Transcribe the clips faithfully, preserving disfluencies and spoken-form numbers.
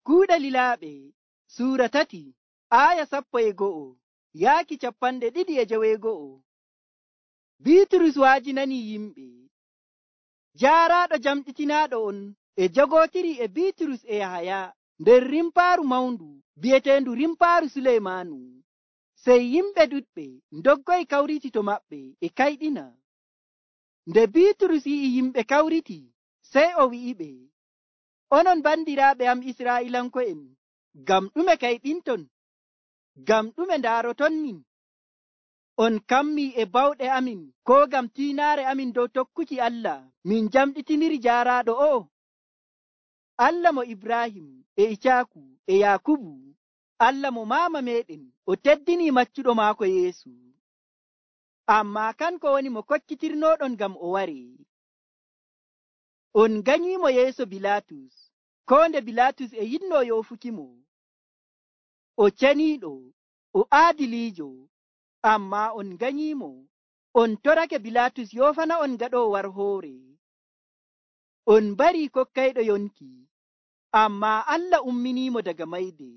Kuuɗe Lilaaɓe suura tati aaya sappo e go'o yaaki capanɗe ɗiɗi e joweego'o. Biiturus waajinani yimɓe. Jaaraaɗo jamɗitinaaɗo on e jogootiri e Biiturus e Yahaya nder rimpaaru mawndu bi'eteendu rimpaaru Suleymaanu. Sey yimɓe ɗuɗɓe ndoggoyi kawriti to maɓɓe e kayɗina. Nde Biiturus yi'i yimɓe kawriti, sey o wi'iɓe, onon bandiraaɓe am Israa'iilanko'en, ngam ɗume kayɗinton? Ngam ɗume ndaaroton min? On kammii e bawɗe amin koo ngam tiinaare amin dow tokkuki Allah min jamɗitiniri jaaraaɗo o'o? Allah mo Ibrahim e Icaaku e Yaakubu, Allah mo maama meeɗen o teddinii maccuɗo maako Yeesu. Ammaa kanko woni mo kokkitirnooɗon ngam o waree. On ganyiimo yeeso Bilaatus, koo nde Bilaatus e yiɗnoo yoofukimo. O ceniiɗo, o aadiliijo, ammaa on ganyiimo. On torake Bilaatus yoofana on gaɗoowo war hoore. On barii kokkayɗo yonki, ammaa Allah umminiimo daga mayde.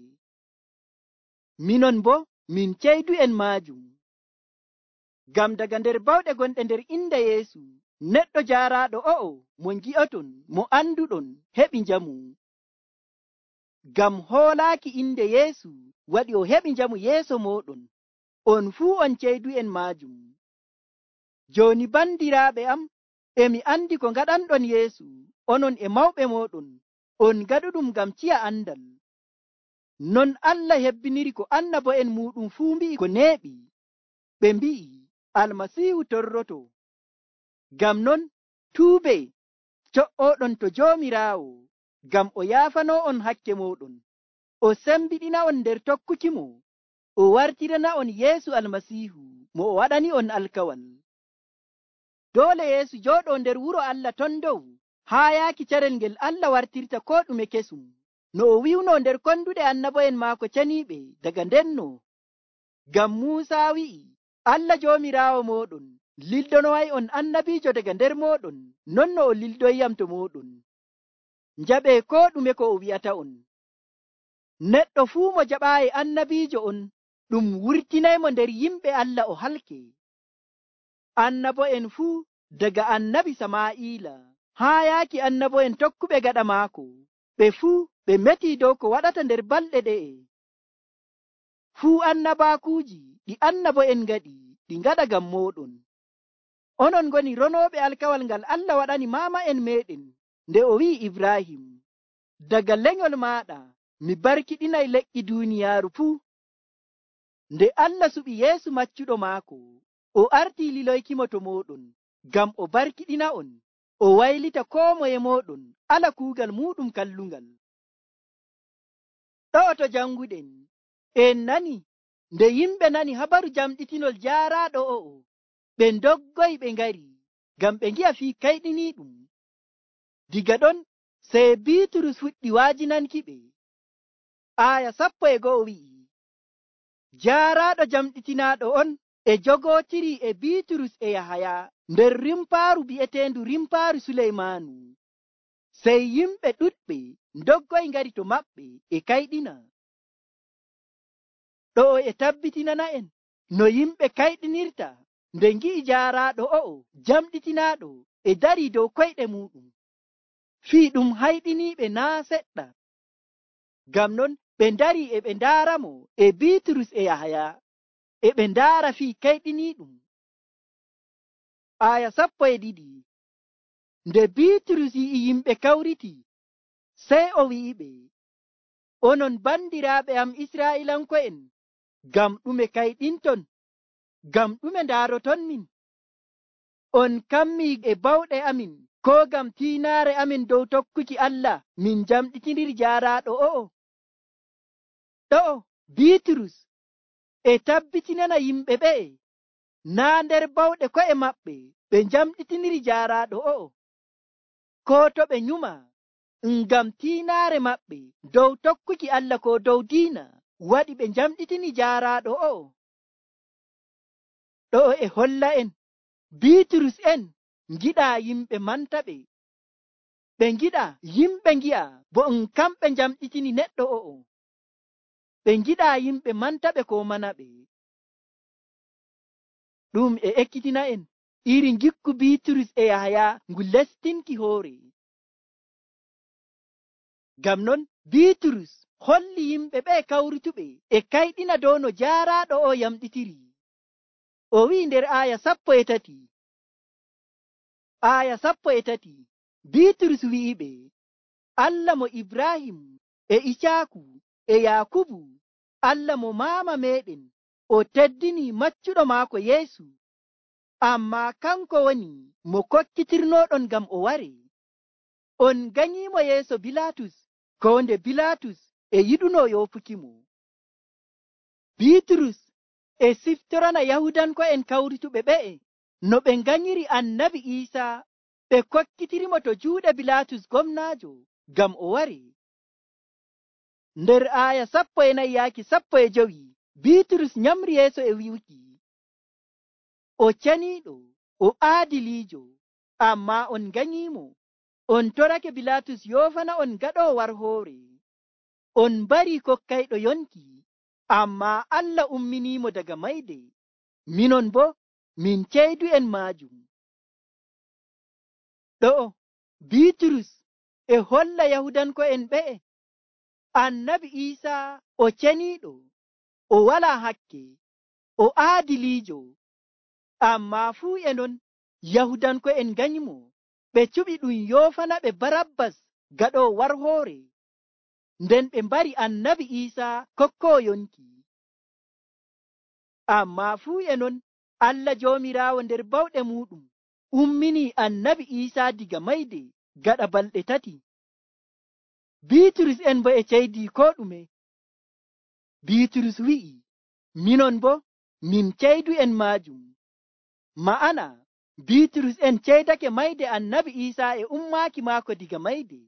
Minon boo min ceydu'en maajum. Ngam daga nder bawɗe gonɗe nder inde Yeesu, neɗɗo jaaraaɗo o'o mo ngi'oton, mo anduɗon, heɓi njamu. Ngam hoolaaki inde Yeesu waɗi o heɓi njamu yeeso mooɗon. On fuu on ceydu'en maajum. Jooni bandiraaɓe am, emi andi ko ngaɗanɗon Yeesu, onon e mawɓe mooɗon, on ngaɗuɗum ngam ciya andal. Non Allah hebbiniri ko annabo'en muuɗum fuu mbi'i ko neeɓi. Ɓe mbi'i Almasiihu torroto. Ngam non tuube co'ooɗon to Joomiraawo, ngam o yaafanoo on hakke mooɗon, o sembiɗina on nder tokkukimo, o wartirana on Yeesu Almasiihu mo o waɗani on alkawal. Doole Yeesu jooɗoo nder wuro Allah ton dow haa yaaki carel ngel Allah wartirta koo ɗume kesum, no o wi'unoo nder konduɗe annabo'en maako ceniiɓe daga ndenno. Ngam Muusaa wi'i, Allah Joomiraawo mooɗon lildonoway on annabiijo daga nder mooɗon, non no o lildoyyam to mooɗon. Njaɓee koo ɗume ko o wi'ata on. Neɗɗo fuu mo jaɓaayi annabiijo on, ɗum wurtinaymo nder yimɓe Allah o halke. Annabo'en fuu daga annabi Samaa'iila haa yaaki annabo'en tokkuɓe gaɗa maako, ɓe fuu ɓe metii dow ko waɗata nder balɗe ɗe'e. Fuu annabaakuuji ɗi annabo'en ngaɗi, ɗi ngaɗa ngam mooɗon. Onon ngoni ronooɓe alkawal ngal Allah waɗani maama'en meeɗen nde o wi'i Ibrahim, daga lenyol maaɗa mi barkiɗinay leƴƴi duuniyaaru fuu. Nde Allah suɓi Yeesu maccuɗo maako, o artii liloykimo to mooɗon ngam o barkiɗina on, o waylita koo moye mooɗon ala kuugal muuɗum kallungal. Ɗo'o to janguɗen, en nani nde yimɓe nani habaru jamɗitinol jaaraaɗo o'o, ɓe ndoggoyi ɓe ngari ngam ɓe ngi'a fii kayɗiniiɗum. Diga ɗon sey Biiturus fuɗɗi waajinankiɓe. Aaya sappo e go'o wi'i, jaaraaɗo jamɗitinaaɗo on e jogootiri e Biiturus e Yahaya nder rimpaaru bi'eteendu rimpaaru Suleymaanu. Sey yimɓe ɗuɗɓe ndoggoyi ngari to maɓɓe e kayɗina. Ɗo'o e tabbitinana'en no yimɓe kayɗinirta nde ngi'i jaaraaɗo o'o jamɗitinaaɗo e darii dow koyɗe muuɗum. Fii ɗum hayɗiniiɓe naa seɗɗa. Ngam non ɓe ndarii e ɓe ndaaramo e Biiturus e Yahaya, e ɓe ndaara fii kayɗiniiɗum. Aaya sappo e ɗiɗi. Nde Biiturus yi'i yimɓe kawriti, sey o wi'iɓe, onon bandiraaɓe am Israa'iilanko'en, ngam ɗume kayɗinton? Ngam ɗume ndaaroton min? On kammii e bawɗe amin koo ngam tiinaare amin dow tokkuki Allah min jamɗitiniri jaaraaɗo o'o? Ɗo'o Biiturus e tabbitinana yimɓe ɓe'e naa nder bawɗe ko'e maɓɓe ɓe jamɗitiniri jaaraaɗo o'o, koo to ɓe nyuma ngam tiinaare maɓɓe dow tokkuki Allah koo dow diina waɗi ɓe jamɗitini jaaraaɗo o'o. Ɗo'o e holla en Biiturus en ngiɗaa yimɓe manta ɓe. ɓe ngiɗa yimɓe ngi'a bo um kamɓe njamɗitini neɗɗo o'o. ɓe ngiɗa yimɓe mantaɓe ko manaɓe. ɗum e ekkitina en iri ngikku Biiturus e Yahaya ngu lestinki hoore. Ngam non Biiturus holli yimɓe ɓe kawrutuɓe e kayɗina dow no jaaraaɗo o yamɗitiri. O wi'i nder aaya sappo e tati aaya sappo e tati Biiturus wi'iɓe, Allah mo Ibrahim e Icaaku e Yaakubu, Allah mo maama meɗen, o teddini maccuɗo maako Yeesu, ammaa kanko woni mo kokkitirnoɗon ngam o ware. On ganyiimo yeeso Bilaatus, ko nde Bilaatus e yiɗuno yoofukimo. Biiturus e siftorana Yahudanko'en kawrutuɓe ɓe'e no ɓe nganyiri annabi Iisaa, ɓe kokkitirimo to juuɗe Bilaatus gomnaajo ngam o ware. Nder aaya sappo e nayi yaaki sappo e jowi Biiturus nyamri yeeso e wi'uki, o ceniiɗo, o aadiliijo, ammaa on nganyiimo. On torake Bilaatus yoofana on gaɗoo warhoore. On mbarii kokkayɗo yonki, ammaa Allah umminiimo daga mayde. Minon bo min ceydu'en maajum. Ɗo'o Biiturus e holla Yahudanko'en ɓe'e annabi Iisaa o ceniiɗo, o walaa hakke, o aadiliijo, ammaa fuu e non Yahudanko'en nganyimo. Ɓe cuɓi ɗum yoofana ɓe Barabbas gaɗoo warhoore, nden ɓe mbari annabi Iisaa kokkoo yonki. Ammaa fuu e non Allah Joomiraawo nder bawɗe muuɗum umminii annabi Iisaa diga mayde gaɗa balɗe tati. Biiturus en bo e ceydii koo ɗume. Biiturus wi'i, minon bo min ceydu'en maajum. Ma'ana Biiturus en ceydake mayde annabi Iisaa e ummaaki maako diga mayde.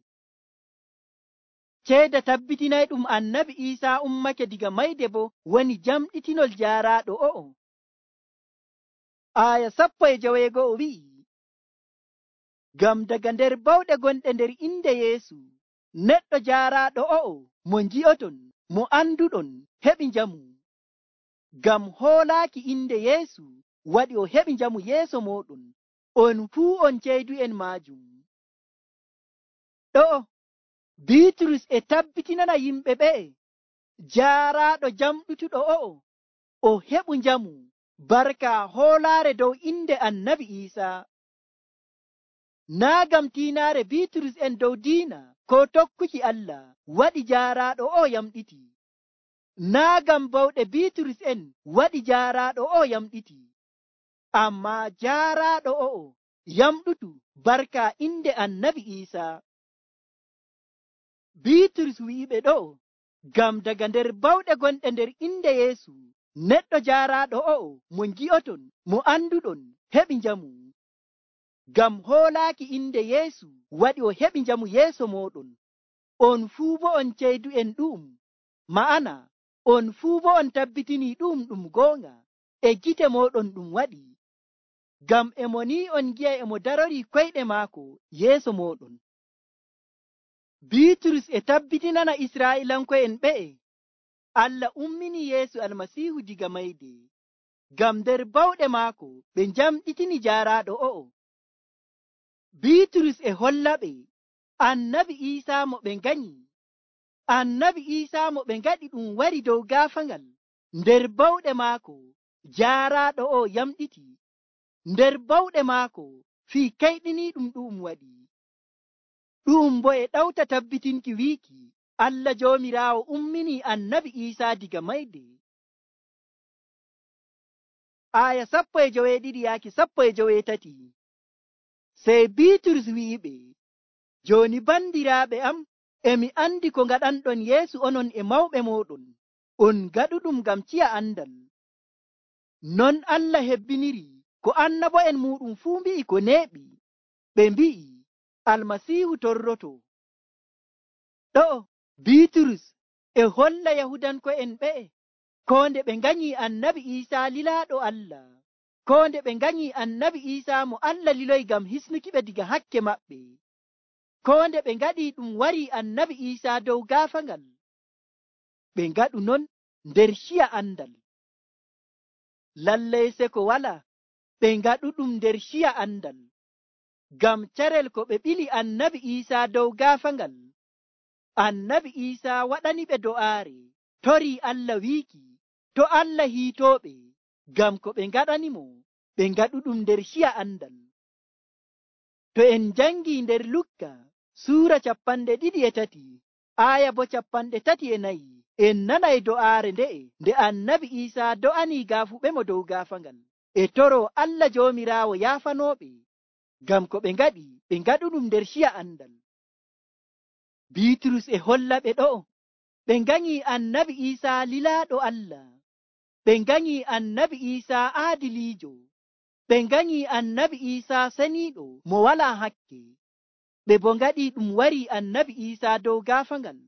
Ceeda tabbitinay ɗum annabi Iisaa ummake diga mayde bo woni jamɗitinol jaaraaɗo o'o. Aaya sappo e joweego'o wi'i, ngam daga nder bawɗe gonɗe nder inde Yeesu, neɗɗo jaaraaɗo o'o mo ngi'oton, mo anduɗon, heɓi njamu. Ngam hoolaaki inde Yeesu waɗi o heɓi njamu yeeso mooɗon, on fuu on ceydu'en maajum. Ɗo'o Biiturus e tabbitinana yimɓe ɓe'e jaaraaɗo jamɗutuɗo o'o o heɓu njamu barka hoolaare dow inde annabi Iisaa. Naa ngam tiinaare Biiturus en dow diina ko tokkuki Allah waɗi jaaraaɗo o yamɗiti. Naa ngam bawɗe Biiturus en waɗi jaaraaɗo o yamɗiti. Ammaa jaaraaɗo o'o yamɗutu barka inde annabi Iisaa. Biiturus wi'iɓe ɗo'o ngam daga nder bawɗe gonɗe nder inde Yeesu, neɗɗo jaaraaɗo o'o mo ngi'oton, mo anduɗon, heɓi njamu. Ngam hoolaaki inde Yeesu waɗi o heɓi njamu yeeso mooɗon. On fuu bo on ceydu'en ɗu'um, ma'ana on fuu bo on tabbitinii ɗu'um ɗum goonga e gite mooɗon ɗum waɗi. Ngam e mo ni on ngi'a e mo darorii koyɗe maako yeeso mooɗon. Biiturus e tabbitinana Israa'iilanko'en ɓe'e Allah umminii Yeesu Almasiihu diga mayde, ngam nder bawɗe maako ɓe njamɗitini jaaraaɗo o'o. Biiturus e hollaɓe annabi Iisaa mo ɓe nganyi, annabi Iisaa mo ɓe ngaɗi ɗum wari dow gaafaŋal. Nder bawɗe maako jaaraaɗo o yamɗiti, nder bawɗe maako fii kayɗiniiɗum ɗu'um waɗi. Ɗu'um bo e ɗawta tabbitinki wiiki Allah Joomiraawo umminii annabi Iisaa diga mayde. Aaya sappo e joweeɗiɗi yaaki sappo e joweetati. Sey Biiturus wi'iɓe, jooni bandiraaɓe am, emi andi ko ngaɗanɗon Yeesu onon e mawɓe mooɗon, on ngaɗuɗum ngam ciya andal. Non Allah hebbiniri ko annabo'en muuɗum fuu mbi'i ko neeɓi. Ɓe mbi'i Almasiihu torroto. Ɗo'o Biiturus e holla Yahudanko'en ɓe'e ko nde ɓe nganyii annabi Iisaa lilaaɗo Allah, ko nde ɓe nganyii annabi Iisaa mo Allah liloyi ngam hisnuki ɓe diga hakke maɓɓe. ko nde ɓe ngaɗi ɗum wari annabi Iisaa dow gaafangal, ɓe ngaɗu non nder ciya andal. Lallay se ko wala ɓe ngaɗu ɗum nder ciya andal, ngam carel ko ɓe ɓili annabi Iisaa dow gaafangal, annabi Iisaa waɗani ɓe do'aare, torii Allah wiiki to Allah hiitooɓe ngam ko ɓe ngaɗanimo ɓe ngaɗu ɗum nder ciya andal. To en jangi nder Lukka suura capanɗe ɗiɗi e tati aya bo capanɗe tati e nayi, en nanay do'aare nde'e nde annabi Iisaa do'anii gaafuɓe mo dow gaafangal e toro Allah Joomiraawo yaafanooɓe ngam ko ɓe ngaɗi ɓe ngaɗu ɗum nder ciya andal. Biiturus e holla ɓe ɗo'o ɓe nganyi annabi Iisaa lilaaɗo Allah, ɓe nganyi annabi Iisaa aadiliijo, ɓe nganyi annabi Iisaa seniiɗo mo walaa hakke, ɓe bo ngaɗi ɗum wari annabi Iisaa dow gaafangal,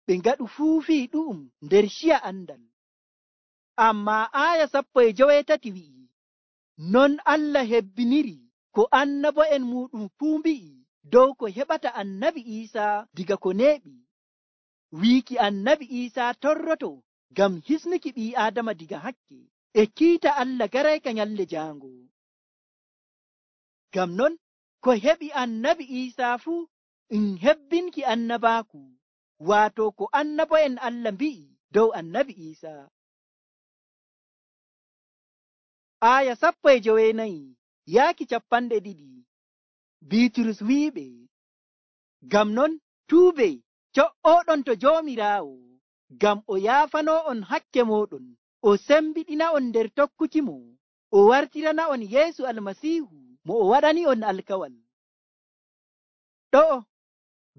ɓe ngaɗu fuufii ɗu'um nder ciya andal. Ammaa aya sappo e joweetati wi'i, non Allah hebbiniri ko annabo'en muɗum fuu mbi'i dow ko heɓata annabi Iisaa diga ko neeɓi, wiiki annabi Iisaa torroto ngam hisnuki ɓii Aadama diga hakke e kiita Allah garayka nyalnde jaango. Ngam non ko heɓi annabi Iisaa fuu ɗum hebbinki annabaaku, waato ko annabo'en Allah mbi'i dow annabi Iisaa. Aya sappo e joweenayi yaaki capanɗe ɗiɗi, Biiturus wi'iɓe, ngam non tuube co'ooɗon to Joomiraawo, ngam o yaafanoo'on hakke mooɗon, o sembiɗina'on nder tokkukimo, o wartirana'on Yeesu Almasiihu mo o waɗani'on alkawal. Ɗo'o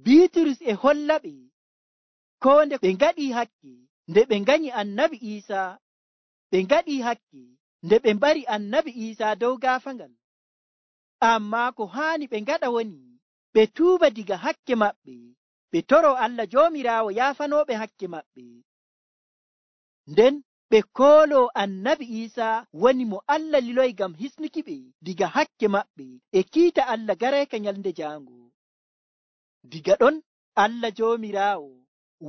Biiturus e hollaɓe ko nde ɓe ngaɗi hakke nde ɓe nganyi annabi Iisaa, ɓe ngaɗi hakke nde ɓe mbari annabi Iisaa dow gaafangal, ammaa ko haani ɓe ngaɗa woni ɓe tuuba diga hakke maɓɓe, ɓe toro Allah Joomiraawo yaafanooɓe hakke maɓɓe, nden ɓe kooloo annabi Iisaa woni mo Allah liloyi ngam hisnuki ɓe diga hakke maɓɓe e kiita Allah garayka nyalnde jaango. Diga ɗon Allah Joomiraawo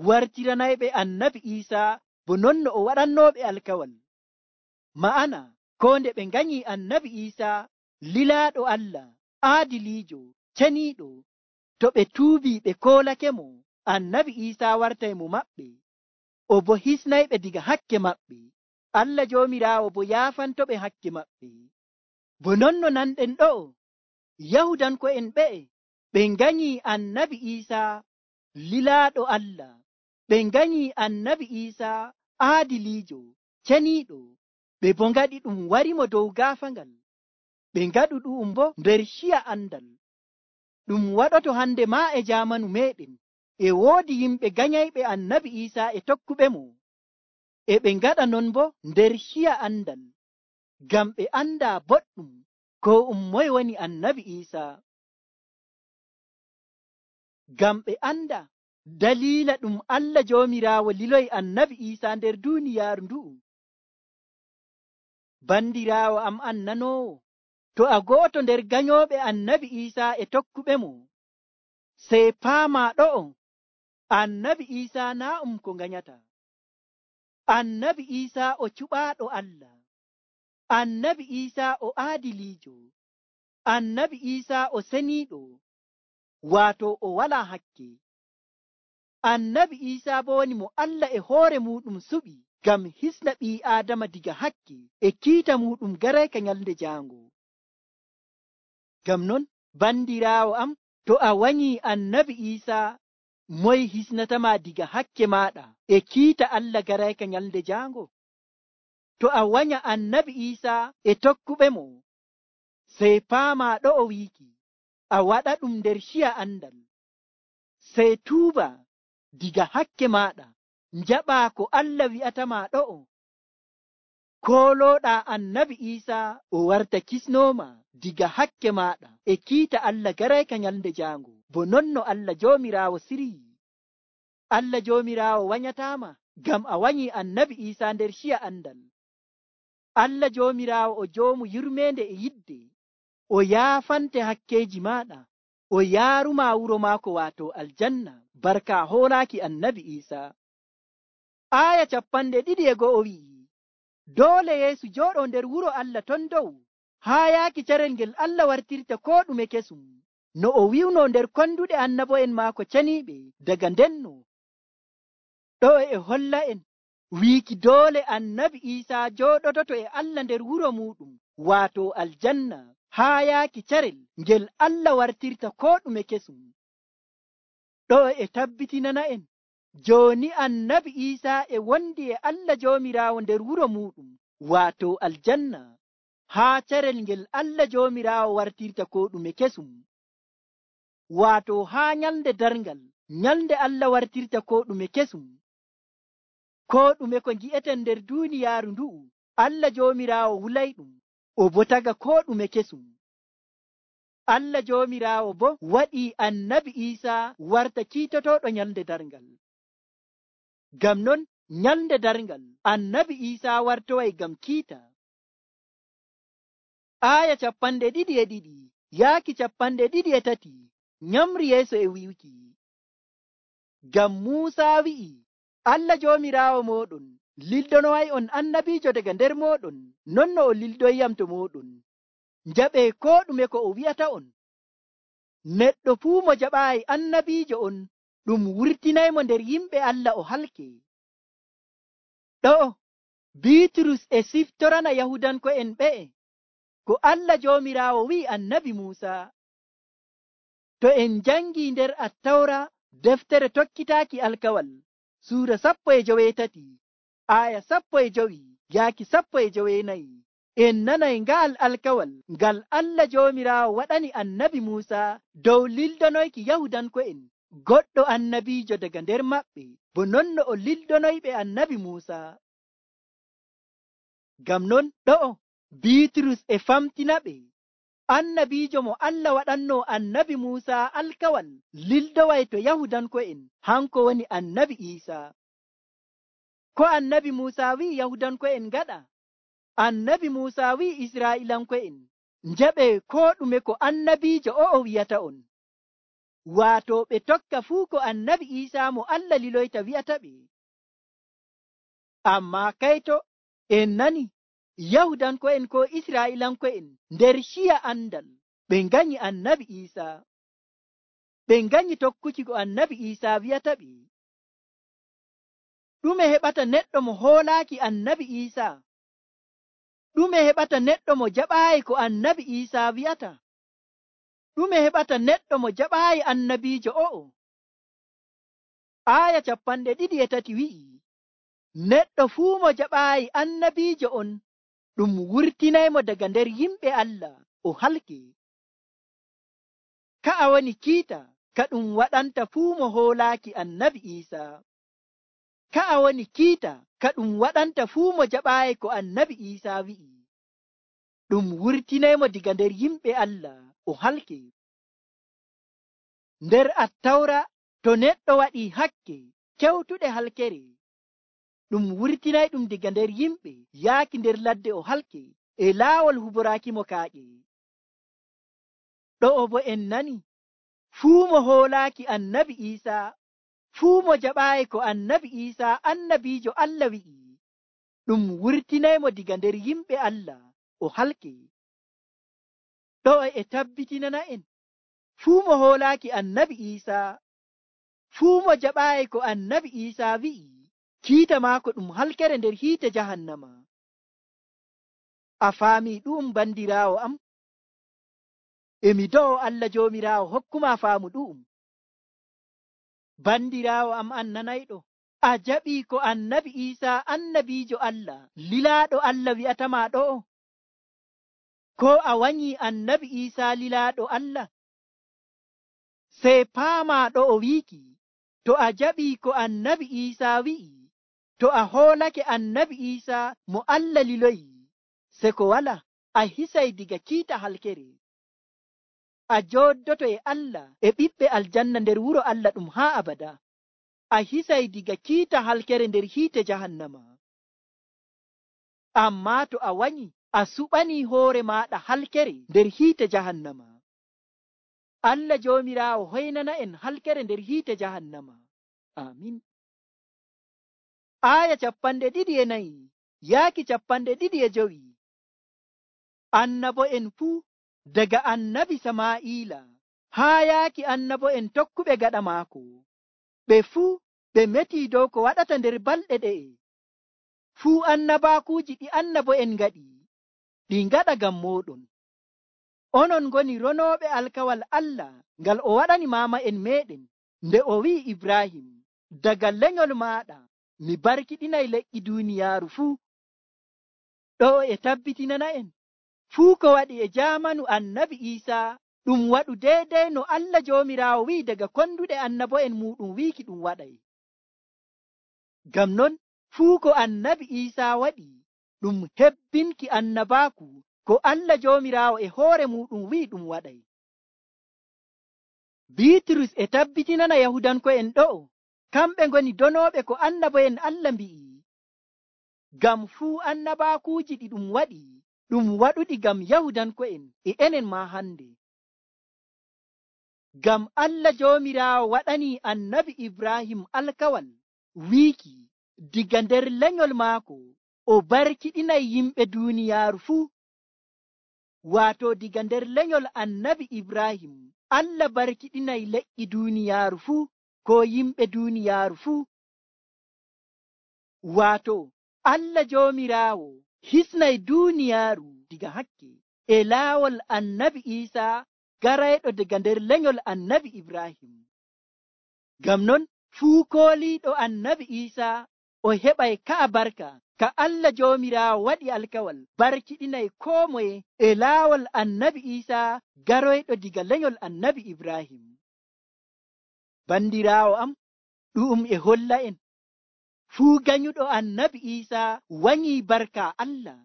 wartiranayɓe annabi Iisaa bo non no o waɗannooɓe alkawal. Ma'ana ko nde ɓe nganyi annabi Iisaa lilaaɗo Allah, aadiliijo, ceniiɗo, to ɓe tuubi ɓe koolake mo, annabi Iisaa wartay mo maɓɓe, o bo hisnayɓe diga hakke maɓɓe, Allah Joomiraawo bo yaafantoɓe hakke maɓɓe. Bo non no nanɗen ɗo'o Yahudanko'en ɓe'e ɓe nganyi annabi Iisaa lilaaɗo Allah, ɓe nganyi annabi Iisaa aadiliijo, ceniiɗo, ɓe bo ngaɗi ɗum wari mo dow gaafangal, ɓe ngaɗu ɗum bo nder ciya andal. Ɗum waɗoto hande maa e jaamanu meɗen e woodi yimɓe ganyayɓe annabi Iisaa e tokkuɓe mo, e ɓe ngaɗa non bo nder ciya andal, ngam ɓe anda boɗɗum ko um moye woni annabi Iisaa, ngam ɓe anda dalila ɗum Allah Joomiraawo liloyi annabi Iisaa nder duuniyaaru ndu'u. Bandiraawo am annanoowo, to a go'oto nder ganyooɓe annabi Iisaa e tokkuɓe mo, sey paama ɗo'o annabi Iisaa naa um ko nganyata. Annabi Iisaa o cuɓaaɗo Allah, annabi Iisaa o aadiliijo, annabi Iisaa o seniiɗo, waato o walaa hakke. Annabi Iisaa bo woni mo Allah e hoore muɗum suɓi ngam hisna ɓii Aadama diga hakke e kiita muɗum garayka nyalnde jaango. Ngam non bandiraawo am, to a wanyi annabi Iisaa, moy hisnatama diga hakke maɗa e kiita Allah garayka nyalnde jaango? To a wanya annabi Iisaa e tokkuɓe mo, sey paama ɗo'o wiiki a waɗa ɗum nder ciya andal, sey tuuba diga hakke maɗa, njaɓa ko Allah wi'atama ɗo'o, kooloɗa annabi Iisaa o warta kisnoma diga hakke maɗa e kiita Allah garayka nyalnde jaango, bo non no Allah Joomiraawo siryi. Allah Joomiraawo wanyatama ngam a wanyi annabi Iisaa nder ciya andal. Allah Joomiraawo o joomu yurmende e yidde, o yaafante hakkeji maɗa, o yaaruma wuro maako waato aljanna barka hoolaaki annabi Iisa. Aaya capanɗe ɗiɗi e go'o wi'i, doole Yeesu jooɗo nder wuro Allah ton dow haa yaaki carel ngel Allah wartirta koo ɗume kesum, no o wi'uno nder konduɗe annabo'en maako ceniiɓe daga ndenno. Ɗo e holla en wiiki doole annabi Iisa jooɗototo e Allah nder wuro muɗum waato aljanna haa yaaki carel ngel Allah wartirta koo ɗume kesum. Ɗo e tabbitinana en jooni annabi Iisa e wondi e Allah Joomiraawo nder wuro muɗum waato aljanna haa carel ngel Allah Joomiraawo wartirta koo ɗume kesum, waato haa nyalnde darngal nyalnde Allah wartirta koo ɗume kesum. Koo ɗume ko ngi'eten nder duuniyaaru ndu'u Allah Joomiraawo wulayɗum o bo taga koo ɗume kesum. Allah Joomiraawo bo waɗii annabi Iisa warta kiitotooɗo nyalnde darngal. Ngam non nyalnde darngal annabi Iisa wartoway ngam kiita. Aaya capanɗe ɗiɗi e ɗiɗi yaaki capanɗe ɗiɗi e tati nyamri yeeso e wi'uki, ngam Muusaa wi'i, Allah Joomiraawo mooɗon lildonoway on annabiijo daga nder mooɗon, non no o lildoyyam to mooɗon. Njaɓee koo ɗume ko o wi'ata on. Neɗɗo fuu mo jaɓaayi annabiijo on, ɗum wurtinaymo nder yimɓe Allah o halke. Ɗo'o Biiturus e siftorana Yahudanko'en ɓe'e ko Allah Joomiraawo wi'i annabi Muusaa. To en njangii nder Attawra deftere tokkitaaki alkawal suura sappo e joweetati aaya sappo e jowi yaaki sappo e joweenayi, en nanay nga'al alkawal ngal Allah Joomiraawo waɗani annabi Muusaa dow lildonoyki Yahudanko'en goɗɗo annabiijo daga nder maɓɓe, bo non no o lildonoyɓe annabi Muusaa. Ngam non ɗo'o Biiturus e famtinaɓe annabiijo mo Allah waɗanno annabi Muusaa alkawal lildoway to Yahudanko'en hanko woni annabi Iisaa. Ko annabi Muusaa wi'i Yahudanko'en ngaɗa? Annabi Muusaa wi'i Israa'ilanko'en njaɓee koo ɗume ko annabiijo o'o wi'ata on, waato ɓe tokka fuu ko annabi Iisaa mo Allah liloyta wi'ata ɓe. Ammaa kayto en nani Yahudanko'en ko Israa'ilanko'en nder ciya andal ɓe nganyi annabi Iisaa, ɓe nganyi tokkuki ko annabi Iisaa wi'ata ɓe. Ɗume heɓata neɗɗo mo hoolaaki annabi Iisaa? Ɗume heɓata neɗɗo mo jaɓaayi ko annabi Iisaa wi'ata? Ɗume heɓata neɗɗo mo jaɓaayi annabiijo o'o? Aaya capanɗe ɗiɗi e tati wi'i, neɗɗo fuu mo jaɓaayi annabiijo on, ɗum wurtinaymo daga nder yimɓe Allah o halke. Ka'a woni kiita ka ɗum waɗanta fuu mo hoolaaki annabi Iisaa. Ka'a woni kiita ka ɗum waɗanta fuu mo jaɓaayi ko annabi Iisaa wi'i, ɗum wurtinaymo diga nder yimɓe Allah o halke. Nder Attawra to neɗɗo waɗii hakke kewtuɗe halkere, ɗum wurtinay ɗum diga nder yimɓe yaaki nder ladde o halke e laawol huboraaki mo kaaƴe. Ɗo'o bo en nani fuu mo hoolaaki annabi Iisaa, fuu mo jaɓaayi ko annabi Iisaa annabiijo Allah wi'i, ɗum wurtinaymo diga nder yimɓe Allah o halke. Ɗo'o e tabbitinana en fuu mo hoolaaki annabi Iisaa, fuu mo jaɓaayi ko annabi Iisaa wi'i, kiita maako ɗum halkere nder hiite jahannama. A faami ɗu'um bandiraawo am? Emi do'o Allah Joomiraawo hokkuma faamu ɗu'um. Bandiraawo am an nanayɗo, a jaɓii ko annabi Iisaa annabiijo Allah lilaaɗo Allah wi'atama ɗo'o? Ko a wanyii annabi Iisaa lilaaɗo Allah? Sey paamaa ɗo'o wiiki, to a jaɓii ko annabi Iisaa wi'i, to a hoolake annabi Iisaa mo Allah liloyi, se ko wala a hisay diga kiita halkere. A jooddoto e Allah e ɓiɓɓe aljanna nder wuro Allah ɗum haa abada. A hisay diga kiita halkere nder hiite jahannama. Ammaa to a wanyi, a suɓanii hoore maaɗa halkere nder hiite jahannama. Allah joomiraawo hoynana en halkere nder hiite jahannama. Amin. Aya capanɗe ɗiɗi e nayi yaaki capanɗe ɗiɗi e jowi. Annabo'en fuu daga annabi Samaa'ila haa yaaki annabo'en tokkuɓe gaɗa maako, ɓe fuu ɓe metii dow ko waɗata nder balɗe ɗe'e. Fuu annabaakuuji ɗi annabo'en ngaɗi, ɗi ngaɗa ngam mooɗon. Onon ngoni ronooɓe alkawal Allah ngal o waɗani maama'en meeɗen nde o wi'i Ibrahim, daga lenyol maaɗa mi barkiɗinay leƴƴi duuniyaaru fuu. Ɗo e tabbitinana en fuu ko waɗi e jaamanu annabi Iisaa ɗum waɗu deydey no Allah joomiraawo wi'i daga konduɗe annabo'en muuɗum wiiki ɗum waɗay. Ngam non fuu ko annabi Iisaa waɗi ɗum hebbinki annabaaku ko Allah joomiraawo e hoore muuɗum wi'i ɗum waɗay. Biitrus e tabbitinana Yahudanko'en ɗo'o kamɓe ngoni donooɓe ko annabo'en Allah mbi'i. Ngam fuu annabaakuuji ɗi ɗum waɗi ɗum waɗuɗi ngam Yahudanko'en e enen maa hande. Ngam Allah joomiraawo waɗanii annabi Ibrahim alkawal wiiki diga nder lenyol maako o barkiɗinay yimɓe duuniyaaru fuu. Waato diga nder lenyol annabi Ibrahim Allah barkiɗinay leƴƴi duuniyaaru fuu ko yimɓe duuniyaaru fuu. Waato Allah joomiraawo hisnay duuniyaaru diga hakke e laawol annabi Iisaa garayɗo daga nder lenyol annabi Ibrahim. Ngam non fuu kooliiɗo annabi Iisaa o heɓay ka'a barka ka Allah joomiraawo waɗi alkawal barkiɗinay koo moye e laawol annabi Iisaa garoyɗo diga lenyol annabi Ibrahim. Bandiraawo am, ɗu'um e holla en fuu ganyuɗo annabi Iisaa wanyii barka Allah.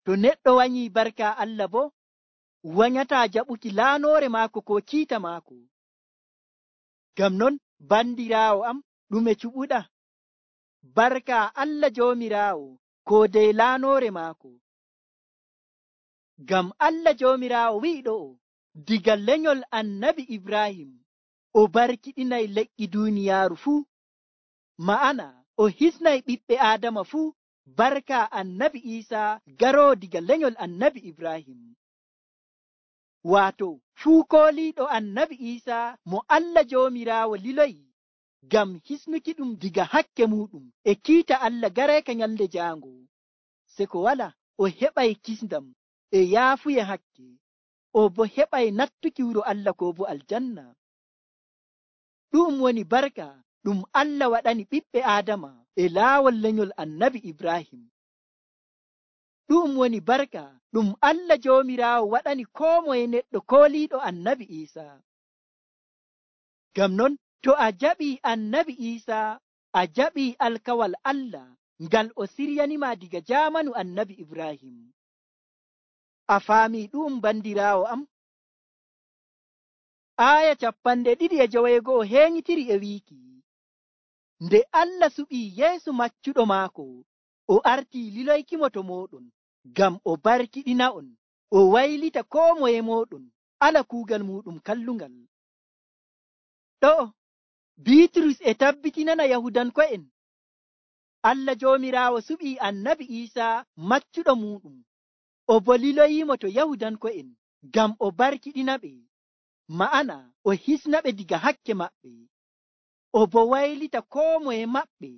To neɗɗo wanyii barka Allah bo wanyataa jaɓuki laanoore maako ko kiita maako. Ngam non bandiraawo am, ɗume cuɓuɗa barka Allah joomiraawo ko dey laanoore maako. Ngam Allah joomiraawo wi'i ɗo'o diga lenyol annabi Ibrahim o barkiɗinay leƴƴi duuniyaaru fuu. Ma'ana o hisnay ɓiɓɓe Aadama fuu barka annabi Iisaa garoo diga lenyol annabi Ibrahim. Waato fuu kooliiɗo annabi Iisaa mo Allah joomiraawo liloyi ngam hisnuki ɗum diga hakke muuɗum e kiita Allah gareeka nyalde jaango, se ko wala o heɓay kisndam e yaafuye hakke, o bo heɓay nattuki wuro Allah ko bo aljanna. Ɗum woni barka ɗum Allah waɗani ɓiɓɓe Aadama e laawol lenyol annabi Ibrahim. Ɗum woni barka ɗum Allah joomiraawo waɗani koo moye neɗɗo kooliiɗo annabi Iisaa. Ngam non to a jaɓii annabi Iisaa a jaɓii alkawal Allah ngal o siryanima diga jaamanu annabi Ibrahim. A faamii ɗum bandiraawo am? Aya capanɗe ɗiɗi e joweego'o heenyitiri e wiiki, nde Allah suɓii Yeesu maccuɗo maako, o artii liloykimo to mooɗon ngam o barkiɗina'on, o waylita koo moye mooɗon ala kuugal muuɗum kallungal. Ɗo'o Biitrus e tabbitinana Yahudanko'en Allah joomiraawo suɓii annabi Iisaa maccuɗo muuɗum, o bo liloyiimo to Yahudanko'en ngam o barkiɗinaɓe, ma'ana o hisnaɓe diga hakke maɓɓe, o bo waylita koo moye maɓɓe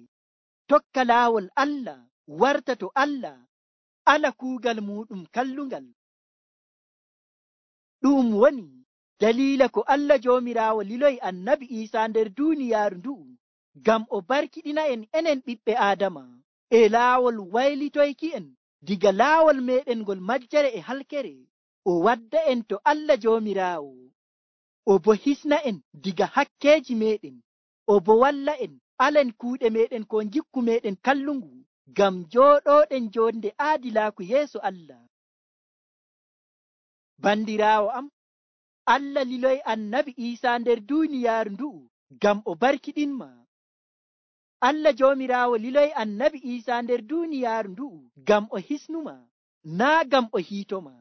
tokka laawol Allah warta to Allah ala kuugal muuɗum kallungal. Ɗum woni daliila ko Allah joomiraawo liloyi annabi Iisaa nder duuniyaaru ndu'u ngam o barkiɗina en enen ɓiɓɓe Aadama e laawol waylitoyki en diga laawol meɗen ngol majjere e halkere, o wadda en to Allah joomiraawo, o bo hisna en diga hakkeeji meɗen, o bo walla en alen kuuɗe meɗen ko jikku meɗen kallungu ngam jooɗoɗen jonde aadilaaku yeeso Allah. Bandiraawo am, Allah liloyi annabi Iisaa nder duuniyaaru ndu'u ngam o barkiɗinma. Allah joomiraawo liloyi annabi Iisaa nder duuniyaaru ndu'u ngam o hisnuma, naa ngam o hiitoma.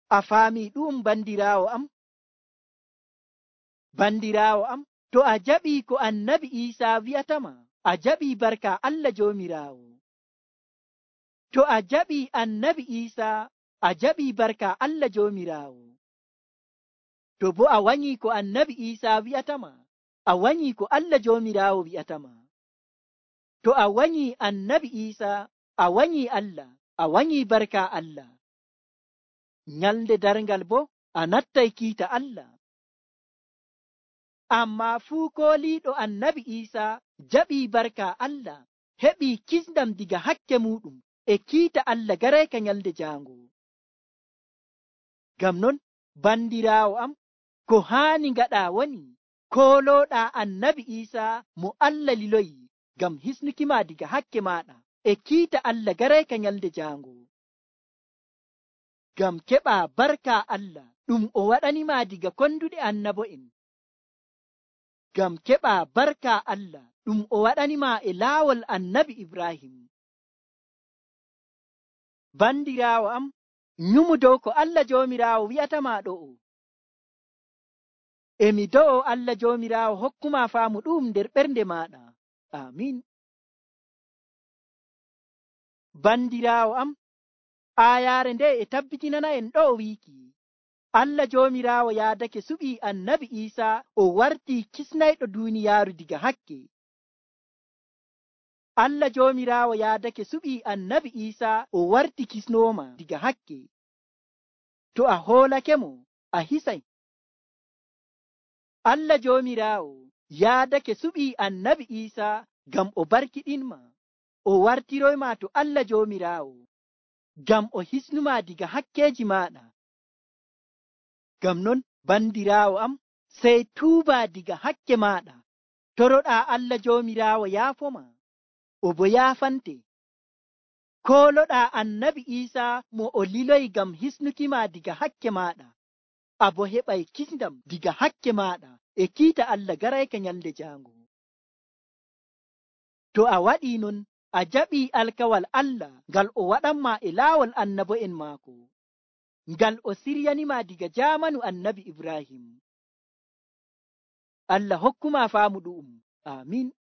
A faami ɗum bandiraawo am? Bandiraawo am, to a jaɓii ko annabi Iisaa wi'atama, a jaɓii barka Allah Joomiraawo. To a jaɓii annabi Iisaa, a jaɓii barka Allah Joomiraawo. To bo a wanyii ko annabi Iisaa wi'atama, a wanyii ko Allah Joomiraawo wi'atama. To a wanyii annabi Iisaa, a wanyii Allah, a wanyii barka Allah. Nyalnde darngal bo a nattay kiita Allah. Ammaa fuu kooliiɗo annabi Iisaa jaɓii barka Allah, heɓii kisndam diga hakke muuɗum e kiita Allah garayka nyalde jaango. Ngam non, bandiraawo am, ko haani ngaɗaa woni koolooɗaa annabi Iisaa mo Allah liloyi ngam hisnukima diga hakke maaɗa e kiita Allah garayka nyalde jaango. Ngam keɓaa barka Allah ɗum o waɗanima diga konduɗe annabo'en. Ngam keɓaa barka Allah ɗum o waɗanima e laawol annabi Ibrahim. Bandiraawo am, nyumu dow ko Allah Joomiraawo wi'atama ɗo'o. Emi do'o Allah Joomiraawo hokkuma faamu ɗum nder ɓernde maɗa. Amin. Bandiraawo am, aayaare nde e tabbitinana en ɗo wiiki Allah Joomiraawo yaadake suɓii annabi Iisaa o wartii kisnayɗo duuniyaaru diga hakke. Allah Joomiraawo yaadake suɓii annabi Iisaa o warti kisnooma diga hakke. To a hoolakemo, a hisay. Allah Joomiraawo yaadake suɓii annabi Iisaa ngam o barkiɗinma, o wartiroyma to Allah Joomiraawo, ngam o hisnuma diga hakkeeji maaɗa. Ngam non, bandiraawo am, sey tuuba diga hakke maaɗa, toroɗaa Allah Joomiraawo yaafoma, o bo yaafante. Kooloɗaa annabi Iisaa mo o liloyi ngam hisnukima diga hakke maaɗa, a bo heɓay kisndam diga hakke maaɗa e kiita Allah garayka nyalde jaango. To a waɗii non, a jaɓii alkawal Allah ngal o waɗanma e laawol annabo'en maako, ngal o siryanima diga jaamanu annabi Ibrahim. Allah hokkuma faamu ɗu'um. Amin.